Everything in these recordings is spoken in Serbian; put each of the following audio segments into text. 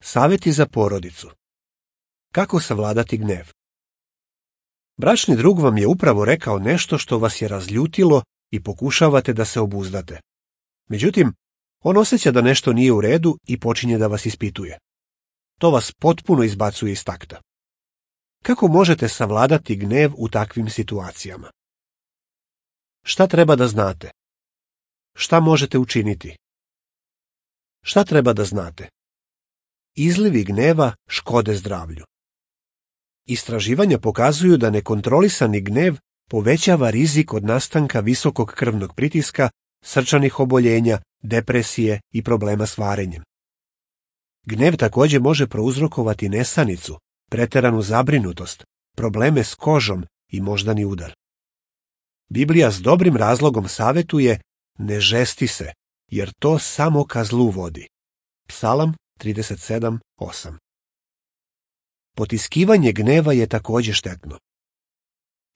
Savjeti za porodicu. Kako savladati gnev? Bračni drug vam je upravo rekao nešto što vas je razljutilo i pokušavate da se obuzdate. Međutim, on osjeća da nešto nije u redu i počinje da vas ispituje. To vas potpuno izbacuje iz takta. Kako možete savladati gnev u takvim situacijama? Šta treba da znate? Šta možete učiniti? Šta treba da znate? Izlivi gneva škode zdravlju. Istraživanja pokazuju da nekontrolisani gnev povećava rizik od nastanka visokog krvnog pritiska, srčanih oboljenja, depresije i problema s varenjem. Gnev također može prouzrokovati nesanicu, preteranu zabrinutost, probleme s kožom i moždani udar. Biblija s dobrim razlogom savjetuje: ne žesti se, jer to samo ka zlu vodi. Psalam 37:8. Potiskivanje gneva je također štetno.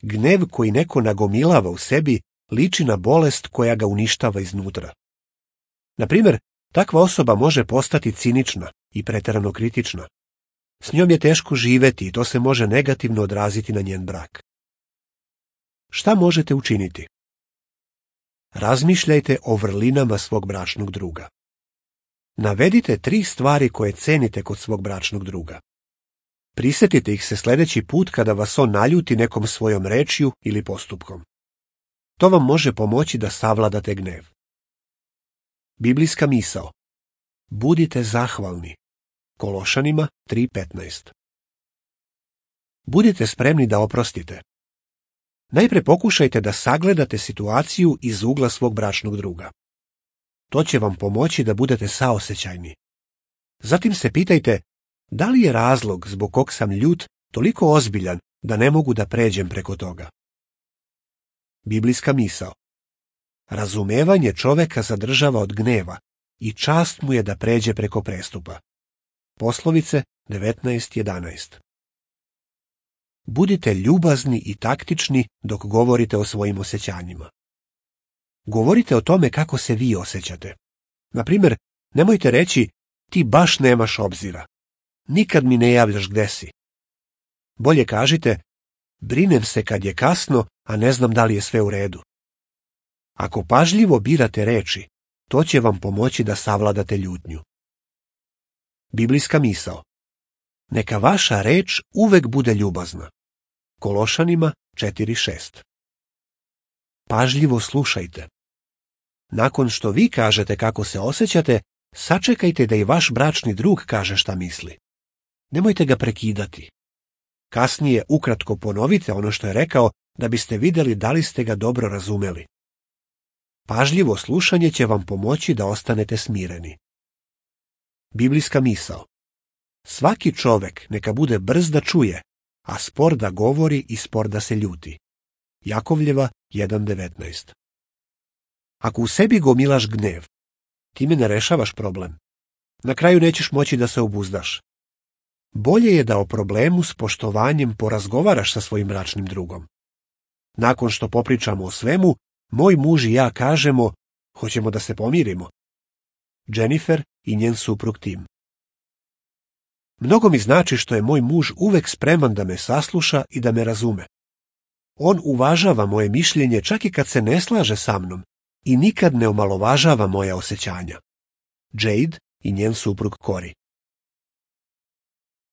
Gnev koji neko nagomilava u sebi liči na bolest koja ga uništava iznutra. Na primjer, takva osoba može postati cinična i preterano kritična. S njom je teško živeti i to se može negativno odraziti na njen brak. Šta možete učiniti? Razmišljajte o vrlinama svog bračnog druga. Navedite 3 stvari koje cenite kod svog bračnog druga. Prisjetite ih se sljedeći put kada vas on naljuti nekom svojom rečju ili postupkom. To vam može pomoći da savladate gnev. Biblijska misao. Budite zahvalni. Kološanima 3:15. Budite spremni da oprostite. Najprije pokušajte da sagledate situaciju iz ugla svog bračnog druga. To će vam pomoći da budete saosećajni. Zatim se pitajte, da li je razlog zbog kog sam ljut toliko ozbiljan da ne mogu da pređem preko toga? Biblijska misao. Razumevanje čoveka zadržava od gneva i čast mu je da pređe preko prestupa. Poslovice 19:11. Budite ljubazni i taktični dok govorite o svojim osjećanjima. Govorite o tome kako se vi osjećate. Na primjer, nemojte reći: ti baš nemaš obzira. Nikad mi ne javljaš gde si. Bolje kažite: brinem se kad je kasno, a ne znam da li je sve u redu. Ako pažljivo birate reči, to će vam pomoći da savladate ljutnju. Biblijska misao. Neka vaša reč uvek bude ljubazna. Kološanima 4:6. Pažljivo slušajte. Nakon što vi kažete kako se osjećate, sačekajte da i vaš bračni drug kaže šta misli. Nemojte ga prekidati. Kasnije ukratko ponovite ono što je rekao da biste vidjeli da li ste ga dobro razumeli. Pažljivo slušanje će vam pomoći da ostanete smireni. Biblijska misao. Svaki čovek neka bude brz da čuje, a spor da govori i spor da se ljuti. Jakovljeva 1:19. Ako u sebi gomilaš gnev, time ne rešavaš problem. Na kraju nećeš moći da se obuzdaš. Bolje je da o problemu s poštovanjem porazgovaraš sa svojim bračnim drugom. Nakon što popričamo o svemu, moj muž i ja kažemo: hoćemo da se pomirimo. Jennifer i njen suprug Tim. Mnogo mi znači što je moj muž uvek spreman da me sasluša i da me razume. On uvažava moje mišljenje čak i kad se ne slaže sa mnom i nikad ne omalovažava moja osjećanja. Jade i njen suprug Cory.